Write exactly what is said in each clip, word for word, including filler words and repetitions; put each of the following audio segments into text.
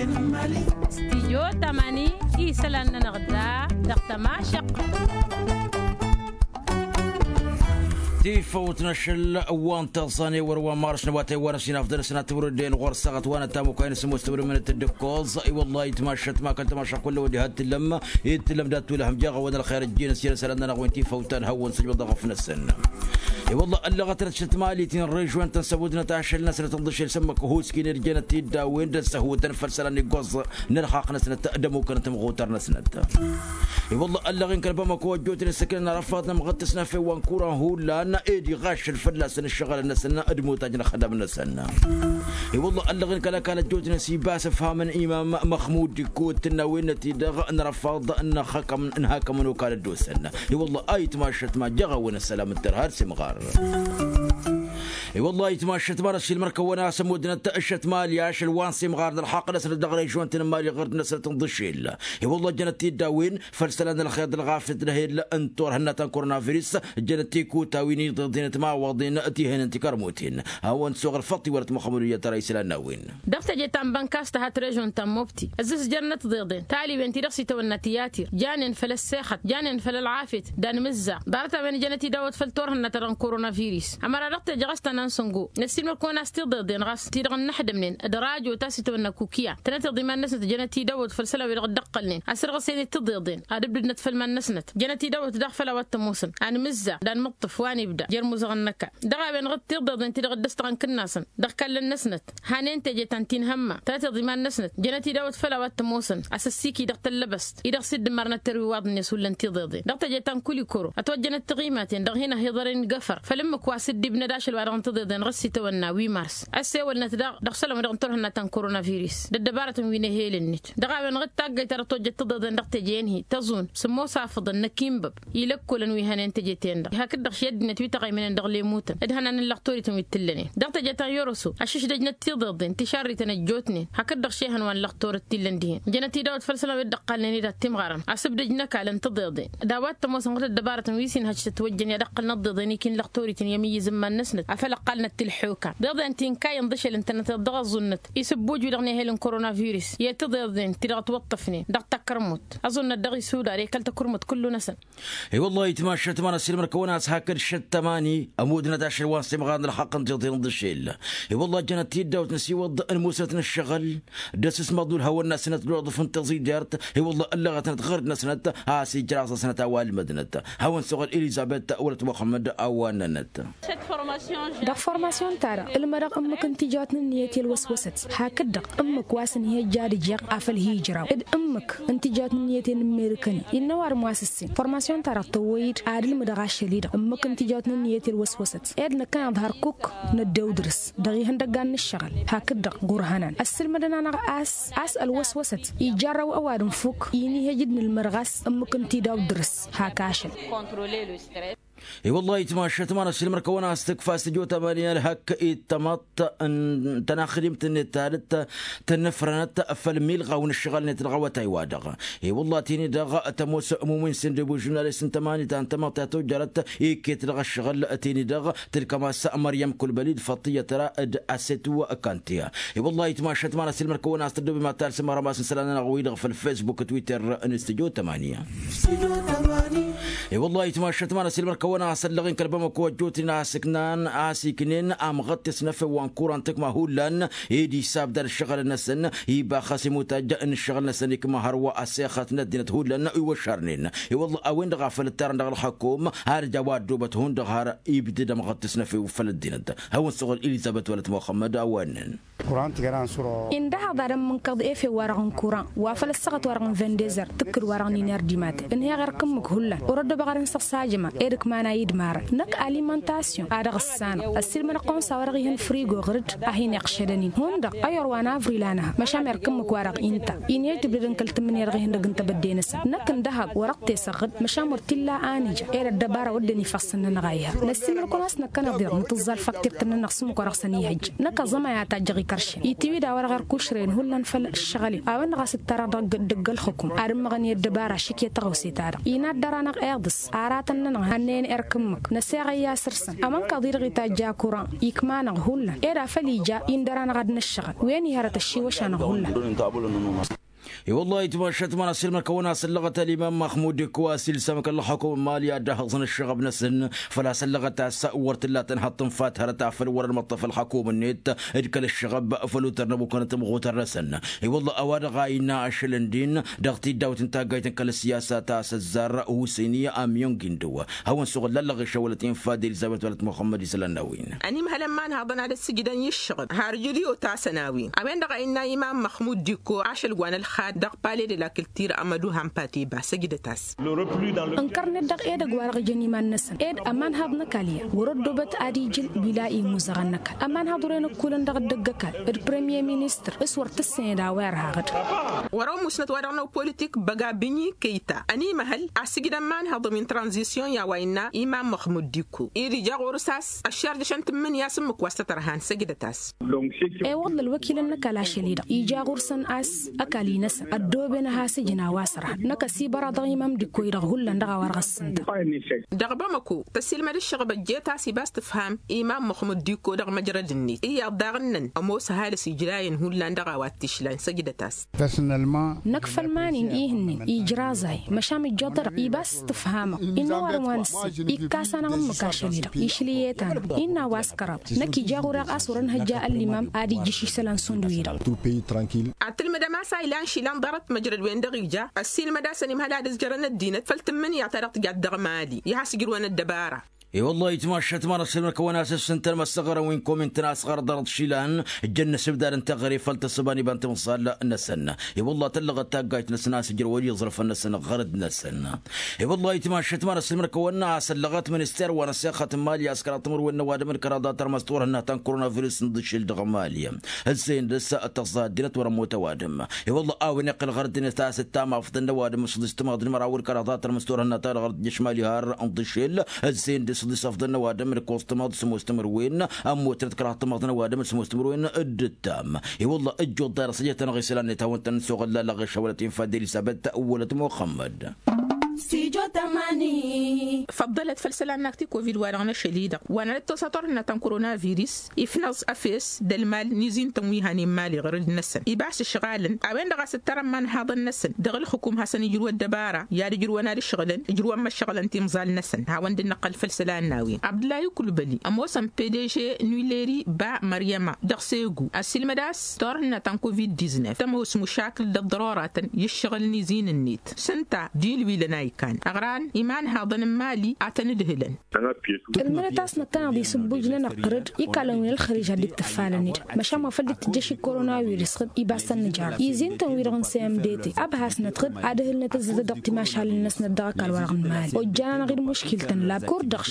Stijyo tamani isălan-nănăɣ da dăɣ-tămašăqq. Tifăwt n-ašăl wa n-tiẓẓan i-wăr wa n-marš n-awatay wa n-asinaf dăr-săn ad-tǝwrǝdden ɣur-săɣăt wa n-ătamukay n-sǝmmos tǝwrǝmnăt d-ǝkkoẓ. I-wăllah itmašăt ma kăl-tamašăqq kull ăwăddi had-tǝllăm. Itǝllăm dat-tulăhăm jaɣăwăn ălxer ăjjinăs i-inăsălan-nănăɣ wi n-tifăwt ta n-hawăn-sǝjbăḍ aɣăf-năsăn. I-wălla ăllăɣăt-năt šătmalitin režwen-tăn s-ăbudnăt ašăl-năsnăt n-ḍǝšel s-ămmăk ăhuuskin ed jănăt tiddawen d-ăssăhwătăn făll-isălan iggoẓ n-ălxaqq-năsnăt d-ămukănăt imɣutar-năsnăt. I-wălla ăllăɣ-in kăl-bamăko ăjjootnen s-ǝknăn arăfaḍ n-amɣăt s-nafew wa n-kuran hullan ed iɣaššăl fălla-săn ǝššăɣǝlăn-năsăn d-imutaj n-ăxdam-năsăn. I-wălla ăllăɣ-in kăl-ăkall ăjjootnen s-ibas ǝfhamăn imam măxmud d-ikkăwăt tǝnnawen-năt-i-dăɣ n-arăfaḍ n-hakămăn okal ăddoosăn. I-wălla a itmašăt ma jăɣ-awăn ăssălam d-tărha d-simɣar. I-wălla itmašăt ma n-ăššilmăr-kăwăn a-s ămudnăt ǝššăt mali ašăl wa n-simɣar d-ălxaqq-năsnăt dăɣ-režon-tăn n-mali ɣur-dd-năsnăt n-iḍǝšel. I-wălla jănăt-t-dd a-wen făll-isălan n-ălxer d-ălɣafyăt d-ehel n-turhănnat ta n-koronavirus. Jănăt-t-ikuta wi n-iḍeḍen d-imawaḍen t-ihănen tikărmuten. Hawăn-suɣ ălfăṭṭ iwălăt muxămmăd uyyăt ara isălan n-a-wen. Dăɣ-teje ta n-bănkas tăhat režon ta n-mobti ăzzǝzjărnăt tiḍeḍen taliwen ti-dăɣ s-itawănna tiyatǝr janen făll-ăssexăt janen făll-ălɣafyăt d-anmǝzzaɣ. Ḍarăt-a-wen jănăt-dd a-wăt făll-turhǝnna-ta-dăɣ n-koronavirus ămăra dăɣ-teje ɣas ta n-ansǝngo. Năssiilmăd-kăwăn a-s tiḍeḍen ɣas ti-dăɣ ănnăxdămnen d-rajo ta s-itawănna kukiya tănăteḍ iman-năsnăt jănăt-dd a-wăt făll-isălan wi-dăɣ dd-ăqqălnen asǝrɣǝs-en-dd tiḍeḍen ad-ǝbdǝdnăt făll-iman-năsnăt. Jănăt-dd a-wăt daɣ făll-a-wa t-ămoosăn anmǝzzaɣ d-anmǝṭṭǝf wa n-ibda jer-imuzăɣăn n-ăkall. Dăɣ-a-wen ɣǝd tiḍeḍen ti-dăɣ dd-ăstăɣăn kǝnnasăn dăɣ-ikallăn-năsnăt. Hanen teje ta n-tinhămma tănăteḍ iman-năsnăt jănăt-dd a-wăt făll-a-wa t-ămoosăn asǝssik-i dăɣ-tăllăbăst-i-dăɣ s-dd-ǝmmărnăt terwiwaḍ-net hullan tiḍeḍen dăɣ-teje ta n-kulikoro ătwăjjănăt tiɣimaten dăɣ-hin-ăhiḍăren igăfăr făll-ǝmmǝk wa s-dd-ibnăd ašăl wa dăɣ-n tiḍeḍen ɣas s-itawănna wi mars. Ăssewălnăt daɣ dăɣ-isălan wi dăɣ-n turhǝnna ta n-koronavirus d-ăddăbarătăn wi n-ehel-net. Dăɣ-a-wen ɣǝd taggăyt ta dăɣ-tojjăt tiḍeḍen dăɣ-teje-en-hi tăẓun sǝmmos afǝḍăn n-ăkinbăb. Ilăkkolăn wi hănen teje-ten-dăɣ hakd-dăɣ šăddinăt wi tăɣăymănen dăɣ-lemutăn d-hănan n-lăxtorităn wi t-ǝllănen dăɣ-teje ta n-yoroso. Ăššǝšdăjnăt tiḍeḍen tišarrităn ăjjootnen hakd-dăɣ šehăn wa n-lăxtorăt t-illăn dihen. Jănăt-dd a-wăt făll-isălan wi dd-ăqqalnen-dd ad-timɣarăn asǝbdăj n-ăkall n-tiḍeḍen d-a-wa t-ămoosăn ɣǝd ăddăbarătăn wi s-inhăj tătwăjjăn i-ad-ăqqălnăt tiḍeḍen ikin lăxtorităn i-amǝyyǝz n-iman-năsnăt afăl ăqqalnăt tilḥuka. Tiḍeḍen ti n-kayăn d-ašăl ǝntănăteḍ dăɣ-ăẓẓunnăt isǝbbuj wi-dăɣ n-ehel n-koronavirus i-tiḍeḍen ti-dăɣ ătwăṭṭăfnen dăɣ-takărmut ăẓunnăt dăɣ-isudar i-kăl-takărmut kullu-năsăn. I-wăllah itmašăt ma n-ăssiilmăr-kăwăn a-s hakd šăt tămani ămudnăt ašăl wa n-simɣan n-ălxaqq n-tiḍen d-ašel. I-wăllah jănăt-t-dd a-wăt năsiwăḍ n-musnăt n-ăššăɣǝl d-asǝsmăḍ n-ulhăwăn-năsnăt d-uḍǝf n-tiẓidert. I-wăllah ăllăɣătnăt ɣărd-năsnăt a-s ijraẓ-asnăt a-wa ǝlmădnăt. Hawăn-suɣǝl elizăbet wălăt muxămmăd a-wa ǝnnănăt. Dăɣ-formasyon-ta-dăɣ ǝlmădăɣ ǝmmǝk n-tijawt n-ǝnniyăt i-ălwăswăsăt hakd-dăɣ ǝmmǝk wa s-ǝnhăjja ad-ǝjeɣ afăl hi-ijraw d-ǝmmǝk n-tijawt n-ǝnniyăt i-inǝmmerǝkăn. Innă ăwadǝm wa s-ǝssin formasyon-ta-dăɣ tăwwăy-dd ad-ǝlmǝdăɣ ašăl-i-dăɣ ǝmmǝk n-tijawt n-ǝnniyăt i-ălwăswăsăt ed năkkăneḍ hărkuk năddew dăr-s dăɣ-ihăndăggan n-ǝššăɣǝl. Hakd-dăɣ ɣur-hănan ăssǝlmădăn-anăɣ a-s a-s ălwăswăsăt ijărrăw ăwadǝm fuk inihăj d-nǝlmădăɣ a-s ǝmmǝk n-tidawt dăr-s hak ašăl. I-wăllah itmašăt ma n-ăssiilmăr-kăwăn a-s tǝkfa s-tijot ămăniyăl hăkk ittămăḍt n-tănaxdimt-net ta d-tănnăfrănăt făll-milɣaw n-ǝššăɣǝl-net dăɣ-awătay-wa-dăɣ. I-wăllah tini-dăɣ tămoos mumin s-indǝbu žurnalist n-tămani ta n-tamăḍt ta tojjărăt ikket dăɣ-ăššăɣǝl tini-dăɣ tǝlkăm a-s măryăm kulbăli d-făṭṭiyyăt ra d-asetu kantiya. I-wăllah itmašăt ma n-ăssiilmăr-kăwăn a-s tăddobem ad-talsăm ărămas n-isălan-nănăɣ-wi-dăɣ făll-fesbuk twitter n-stujo tămani. I-wăllah itmašăt ma n-ăssiilmăr-kăwăn a-s ăllăɣ-in kăl-bamăko ăjjootnen a-s ǝknan a-s iknen amɣăt tesnăfe wa n-kuran tǝkma hullan ed isabdad ǝššăɣǝlăn-năsăn ibaxăs imutaj n-ǝššăɣǝl-năsăn ikma hărwa ăssexăt n-ăddinăt hullan iwăššărnen. I-wăllah a-wen-dăɣ a făl ǝttarăn dăɣ-ălxăkom har ǝja wa ăddoobăt hundăɣ har ibdǝd amɣăt tesnăfe făll-ăddinăt. Hawăn-suɣǝl elizăbet wălăt muxămmăd a-wa ǝnnen. Indăhaḍ ad-ămmǝnkăḍ efe-wa-dăɣ n-kuran wa făl ăssaɣăt-wa-dăɣ n-vendezăr tǝkkǝd-wa-dăɣ n-iner d-imatăn ǝnheɣ erk ǝmmǝk hullan. Wăr-ăddoobăɣ ad-ǝnsăɣ s-ajăma ed ǝkmana idmarăn năkk alimăntasyon a dăɣ-ǝssanăɣ ăssiilmădăɣ-kăwăn s-a-wa-dăɣ ih'-ǝnfrigo ɣǝr-dd a hin-iqqăšădăn-in hundăɣ ăyor wa n-avril a nǝha măšan erk ǝmmǝk-wa-dăɣ inta inhăj tǝbdădăn kăl-tǝmmǝnǝya dăɣ-ihăndăg n-tebădde-năsăn năkk ǝndăhăḍ wăr-ăṭṭesăɣ ɣǝd măšan wăr t-illa a nǝja ed ăddăbara wădden ifassăn-nănăɣ a iha. Năssiilmăd-kăwăn a-s năkkăneḍ-i-dăɣ nǝtǝẓẓal faktǝrt-nănăɣ s-ǝmmǝk wa dăɣ-săn ihăjj. Năkk aẓămay a tajjăɣ ikăršăn itiwi d-a-wa dăɣ-erk ušrăyăn hullan făll-ǝššăɣǝl-in a-wen-dăɣ a-s ǝttarăɣ dăgg-ălxǝkum ad-ǝmmăɣăn i-ăddăbara šik i-tăɣawse-ta-dăɣ inaddarăn. Aḍǝs aratăn-nănăɣ hannăyăn erk ǝmmǝk năseɣăy i-asăr-săn ămănkaḍ-i-dăɣ itajj akura ikma-năɣ hullan ed afăl ija indăr-anăɣ ad-năššăɣăl wen ih' hărăt ăššiwăš-anăɣ hullan. I-wăllah itmašat ma n-asǝlmăd kăwăn-asăllăɣăt ălimam măxmud d-ikku a-s ilsam kăl-ălxukum n-mali ad-dd-ahăẓăn ăššăɣăb-năsăn făl-asăllăɣăt a-s wăr t-illa tănhăḍ tǝnfat hărăt afăl wăr-ănmăṭṭăf ălxukum-net d-kăl-ăššăɣăb făll-utăr n-ăbukănăt ămɣutăr-năsăn. I-wăllah a-wa-dăɣ a innă ašăl ǝndin dăɣ-tiddawt n-taggayt n-kăl-ăssiyasa ta s-ăzzar husini amyong-indǝw hawăn-suɣǝllallăɣ išăwălăt infa d-elizabet wălăt muxămmăd isălan n-a-wen. Ănimhălăn ma n-haḍăn ad-ăssǝjdăn i-ǝššăɣǝb har jǝli otasăn a-wen a-wen-dăɣ a innă imam măxmud d-ikko ašăl wa n-ălxad dăɣ-pale de la kǝltir amădu hampateba săjdăt-as. Ǝnkărnet dăɣ-edăgg wa dăɣ-jăn iman-năsăn ed ămanhaḍ n-ăkall ya wăr-ăddoobăt ad-ijǝl bila imuzăɣăn n-ăkall ămanhaḍ wăren ǝkkulăn dăɣ-dd-ăgg-ăkall d-premier ministăr s-wăr tǝssened a-wa irhaɣ-dd. Wăr-ămusnăt wa dăɣ-năw politik băga bǝnyi kăyta ănimăhăl asǝjdăn ma n-haḍăn wi n-tranzisyon i-a-wa innă imam măxmud d-ikko ed ija ɣur-s a-s ăššarjăšăn tǝmmǝnǝya s-ǝmmǝk wa s-tăt-ărhan săjdăt-as. E-wălla ălwăkilăn n-ăkall ašăl-i-dăɣ ija ɣur-săn a-s ăkall-i-năsăn ăddooben ad-has-ǝjǝn a-wa s-ărhan năkk ăsibăraḍ dăɣ-imam d-ikko-i-dăɣ hullan dăɣ-a-wa dăɣ-ăssǝnta. Dăɣ-bamăko tăsilmăd ǝššăɣăb ăjjeet a-s ibas tǝfham imam măxmud d-ikko dăɣ-măjrăd-net iyyăḍ daɣ ǝnnăn ămoos ăhalǝs ijrayăn hullan dăɣ-a-wa t-išlan săjdăt-as. Năkk făll-iman-in ihǝnnen ijraẓay măšan ǝjjoḍărăɣ ibas tǝfhamăɣ innă ăwadǝm wa nǝssin ikkas-anăɣ ǝmmǝk ašăl-i-dăɣ išli i-tanăɣ innă a-wa s-kăraḍ năkk ija ɣur-eɣ a-s wăr-ănhăjja ăllimam ad-ijjǝš isălan šund wi-dăɣ. Ad-tǝlmǝdăm a-s a ilan išilan ḍarăt măjrăd-wen-dăɣ ija ăssiilmăd-asăn imhăl ad-ǝzjărăn ăddinăt făll-tǝmmǝnǝya-ta-dăɣ tǝjat dăɣ-mali i-has-ǝjrǝwăn ăddăbara. I-wăllah itmašat ma n-ăssilmăd kăwăn-asǝssǝntăn măssăɣărăn wi n-komin-tăn a-s ɣărăt ḍarăt išilan ǝjjăn n-asǝbdad n-teɣăre făll-tăssǝba n-iba n-timẓal-năsăn. I-wăllah tăllăɣăt taggayt-năsăn a-s ǝjrăwăn iẓrăfăn-năsăn ɣărăd-năsăn. I-wăllah itmašat ma n-ăssilmăd kăwăn-asăllăɣăt minister wa n-ăssexăt n-mali a-s kăraḍ timǝrwen n-ăwadǝm d-kăraḍ a tărmăs turhǝnna ta n-koronavirus n-ḍǝšil dăɣ-mali. Ǝzzeyăn dăr-s tăẓẓa ăddinăt wăr-ămmut ăwadǝm. I-wăllah a-wen iqqǝl ɣărăt-net a-s ǝttam afḍăn n-ăwadǝm s-ḍis timaḍ d-măraw d-kăraḍ a tărmăs turhǝnna ta dăɣ-ărjăš mali har n-ḍǝšil. Ǝzzeyăn dăr-s ḍis afḍăn n-ăwadǝm d-ăkkoẓ timaḍ s-ămoos timǝrwen ămmutnăt kăraḍ timaḍ n-ăwadǝm d-ămoos timǝrwen. D-ǝttam i-wălla ăjjoḍ dăr-s ăjăt-anăɣ isălan-net hawăn-tăn-nǝsoɣăl ălleɣ ešăwălăt infa d-elisabet wălăt muxămmăd. Făḍḍălăt făll-isălan n-akti kovid-wa-dăɣ n-ašăl-i-dăɣ wa n-ad-ăttosăt orhǝnna ta n-koronavirus ifnăẓ ăfes d-ălmal n-izin-tăn wi hanen mali ɣur-dd-năsăn ibas ǝšɣalăn a-wen-dăɣ a-s ǝttărăn imanhaḍăn-năsăn dăɣ-ǝlxǝkum hasăn-ijrǝw ăddăbara i-ad-ǝjrǝwăn ad-ǝšɣǝlăn ǝjrǝwăn măššăɣǝlăn timẓal-năsăn hawăn-dd-nǝqqăl făll-isălan n-a-wen abdǝllahi kulbăli ămoosăn pdž n-willeri ba măryăma dăɣ-segu ăssiilmăd a-s turhǝnna ta n-kovid-diznef tămoos mušakǝl d-ăḍḍăroratăn i-ǝššăɣǝl n-izin-net s-ǝnta d-ilwilăn a ikan ăɣran imanhaḍăn n-mali a tăn-ǝdhǝlăn. Ǝlmǝnăt a-s năkkăneḍ isǝbbuj-nănăɣ ɣǝr-dd ikalăn wi n-ălxărij ad-dd-tǝfalăn-dd măšan wa făl dd-tǝjjăš i-koronavirus ɣǝd ibas tăn-nǝjrăḍ izin-tăn-wi-dăɣ n-cmdt ăbhasnăt ɣǝd ad-ǝhǝlnăt ǝzzătăt dăɣ-timašalen-năsnăt dăɣ-ăkall-wa-dăɣ n-mali ojjan-anăɣ-dd muškil-tăn lab kur-dăɣ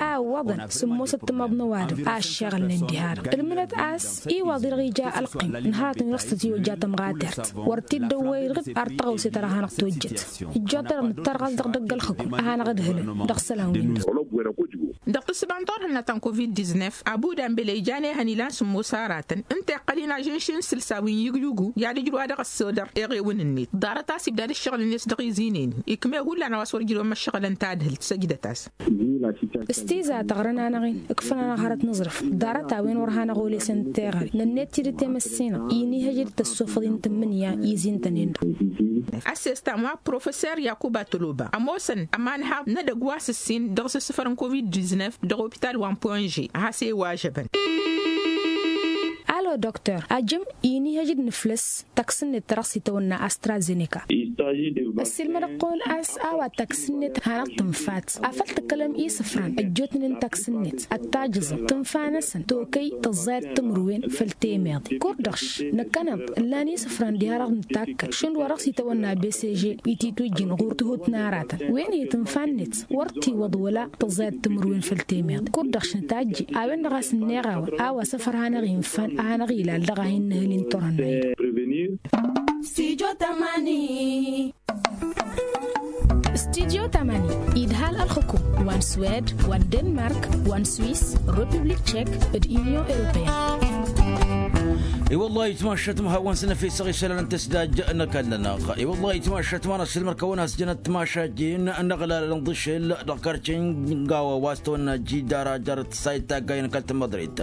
a ǝwwăḍăn sǝmmosăt timaḍ n-ăwadǝm a ǝššeɣǝlnen diha-dăɣ ǝlmǝnăt a-s iwaḍ-i-dăɣ ija ălqim n-hărătăn wi-dăɣ s-tăt-ijojja tămɣatert wăr t-dd-ăwwăy-dd ɣǝd ar tăɣawse ta dăɣ-hanăɣ-tojjăt. Ǝjjoḍărăɣ nǝttarɣas dăɣ-idăgg ălxǝkum ad-hanăɣ-ǝdhǝlăn dăɣ-isălan-win-dăɣ. Dăɣ-tǝssǝba n-turhǝnna ta n-kovid-diznef abuda n-bele ijan ehăn ilan sǝmmos aratăn ǝnta iqqăl-in ažǝnš n-isǝlsa wi n-igyugu i-ad-ǝjrǝw ad-dăɣ-ăssodăr eɣewǝn-net ḍarăt a-s ibdad ǝššăɣǝl-net dăɣ-izinen-i ikme hullan a-wa s-wăr ǝjrǝwăn măššăɣǝlăn tadhǝlt săjdăt-as. S-tiza tăɣrăn-anăɣ-in ǝkfăn-anăɣ hărăt n-aẓrǝf ḍarăt a-wen wăr hanăɣ-olesăn teɣăre nănnet tidǝt i-măssinăɣ inihăj d-tăssofăḍ-in tǝmmǝnǝya izin-tăn-en-dăɣ. Ăssestam wa professer yakuba toloba ămoosăn ămanhaḍ n-edăgg wa s-ǝssin dăɣ-s ǝssǝfăr n-kovid-diznef dăɣ-opital wa n-ponže a has-e-iwažăbăn. Alo doktor ajǝm inihăj d-nǝflǝs taksǝn-net ta dăɣ-s itawănna astrazeneka. Ăssiilmăd ăqqol a-s a-wa taksǝn-net hanăɣ-tǝnfat afăl tǝkkălăm isǝfran ăjjootnen taksǝn-net ăttajǝẓăn tǝnfa-năsăn tokăy tăẓẓayăt timǝrwen făll-temeḍe kur-dăɣ š-năkkăneḍ ǝllan isǝfran diha-dăɣ nǝtakkăl šund wa dăɣ-s itawănna bcg ititujjin ɣur-tihut n-aratăn wen-hi tǝnfa-net wăr t-iwwăḍ wăla tăẓẓayăt timǝrwen făll-temeḍe kur-dăɣ š-nǝtajje a-wen-dăɣ a-s ǝnneɣ a-wa a-wa s-afăr hanăɣ-infan ad-hanăɣ-ilal dăɣ-a hin-nǝhǝl-in turhǝnna-i-dăɣ. Studio tamani. Studio tamani idhal ălxǝkum wa n-swed wa n-denmark wa n-swis, republik tchek d-union européenne. I-wăllah itmašat ma hawăn-săn efesăɣ isălan n-tăsdaj n-ăkall-nănăɣ. I-wăllah itmašat ma n-asǝlmăr kăwăn-as jănăt timašajin n-aɣlalăn d-ašel dăɣ-karcin n-gawa wa s-tăwănna jidara jarăt sayt taggayăn kăl-tămmăḍrit.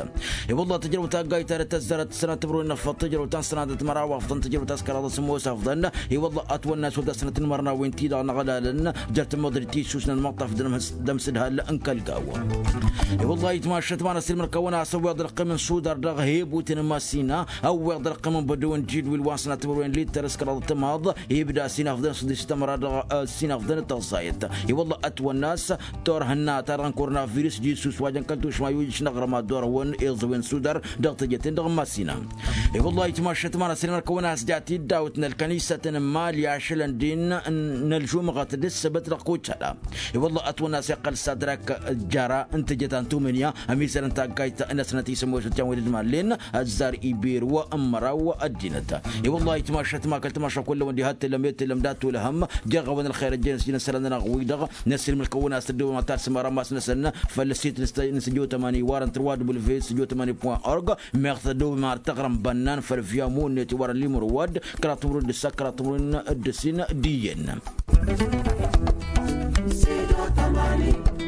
I-wăllah tăjrăw taggayt ta d-tăzzărăt sănat timǝrwen n-afăḍ tăjrăw ta n-sănadăt măraw afḍăn tăjrăw ta s-kăraḍăt s-ămoos afḍăn. I-wăllah ătwănna s-wădda sănat n-imărnawen-ti-dăɣ n-aɣlalăn jer-tămmăḍrit ti s-usnăn măṭṭaf d-ămsǝdhal n-kăl-gawa. I-wăllah itmašat ma n-asǝlmăr kăwăn-as ăwweḍ ălqim n-sudar dăɣ-hebut n-masina ăwweḍ ălqim n-bădăw n-jidwil wa n-sănat timǝrwen littăr s-kăraḍăt tămaḍ. Ibda s-inafḍăn s-dd-s tămăra dăɣ-s inafḍăn d-tăẓẓayăt. I-wălla ătwănna-s turhǝnna ta dăɣ-n-kurnavris d-isus wa jăn kăl-tušma i-ujǝš n-aɣrǝm ad-dd-orăwăn iẓǝwen sudar dăɣ-teje-ten-dăɣ n-masina. I-wălla itmašat ma n-asǝlmăr kăwăn-as jat-dd dawǝtnăl kănisăt n-imali ašălăn din n-ălžumɣăt d-ǝssăbăt dăɣ-kucala. I-wălla ătwănna s-iqqăl s-adrak jara n-teje ta n-tumǝnǝya ămizăr n-taggayt n-asnăt isămoosăt jan wen d-mallen ăzzar iberǝw n-măraw ăddinăt. I-wălla itmašat ma kăl-tamaša kullăwăn diha t-tǝllăm i-tǝllăm dat-tulhăm. Jeɣ-awăn ălxer ăjjănăs jin ăssălan-nănăɣ-wi-dăɣ n-asǝlmǝl kăwăn-as tăddobăm ad-talsăm ara masnăsăn făll-ăssit n-săjo tămani iwarăn tărwa dubǝl ve săjo tămani point org. Meɣ tăddobăm ar tăɣrăm bănnan făll-via munnet iwarăn limur wădd kăraḍ timǝrwen d-ǝssa kăraḍ timǝrwen d-ǝssin d-iyyăn. Săjo tămani.